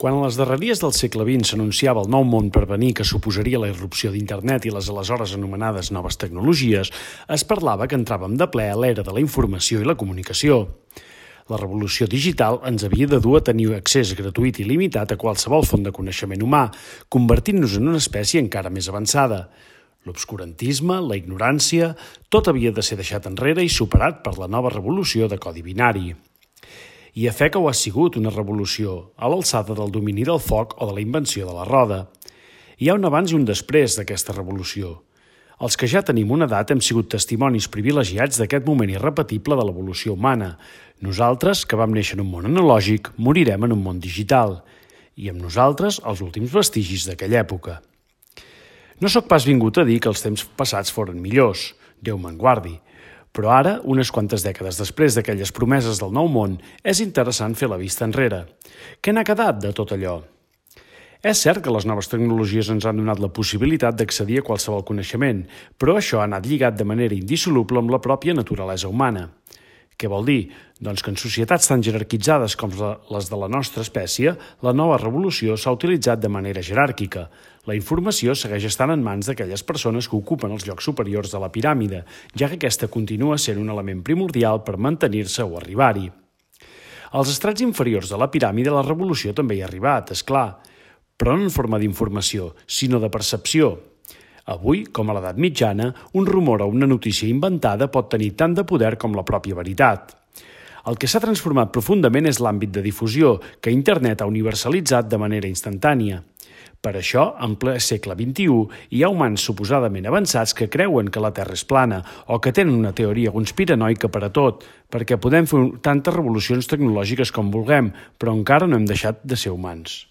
Quan a les darreries del segle XX s'anunciava el nou món per venir que suposaria la irrupció d'Internet i les aleshores anomenades noves tecnologies, es parlava que entràvem de ple a l'era de la informació i la comunicació. La revolució digital ens havia de dur a tenir accés gratuït i limitat a qualsevol font de coneixement humà, convertint-nos en una espècie encara més avançada. L'obscurantisme, la ignorància, tot havia de ser deixat enrere i superat per la nova revolució de codi binari. I a fe que ho ha sigut una revolució, a l'alçada del domini del foc o de la invenció de la roda. Hi ha un abans i un després d'aquesta revolució. Els que ja tenim una edat hem sigut testimonis privilegiats d'aquest moment irrepetible de l'evolució humana. Nosaltres, que vam néixer en un món analògic, morirem en un món digital. I amb nosaltres, els últims vestigis d'aquella època. No sóc pas vingut a dir que els temps passats foren millors, Déu me'n guardi. Però ara, unes quantes dècades després d'aquelles promeses del nou món, és interessant fer la vista enrere. Què n'ha quedat de tot allò? És cert que les noves tecnologies ens han donat la possibilitat d'accedir a qualsevol coneixement, però això ha anat lligat de manera indissoluble amb la pròpia naturalesa humana. Què vol dir? Doncs que en societats tan jerarquitzades com les de la nostra espècie, la nova revolució s'ha utilitzat de manera jeràrquica. La informació segueix estant en mans d'aquelles persones que ocupen els llocs superiors de la piràmide, ja que aquesta continua sent un element primordial per mantenir-se o arribar-hi. Als estrats inferiors de la piràmide la revolució també hi ha arribat, és clar, però no en forma d'informació, sinó de percepció. Avui, com a l'edat mitjana, un rumor o una notícia inventada pot tenir tant de poder com la pròpia veritat. El que s'ha transformat profundament és l'àmbit de difusió, que Internet ha universalitzat de manera instantània. Per això, en ple segle XXI, hi ha humans suposadament avançats que creuen que la Terra és plana o que tenen una teoria conspiranoica per a tot, perquè podem fer tantes revolucions tecnològiques com vulguem, però encara no hem deixat de ser humans.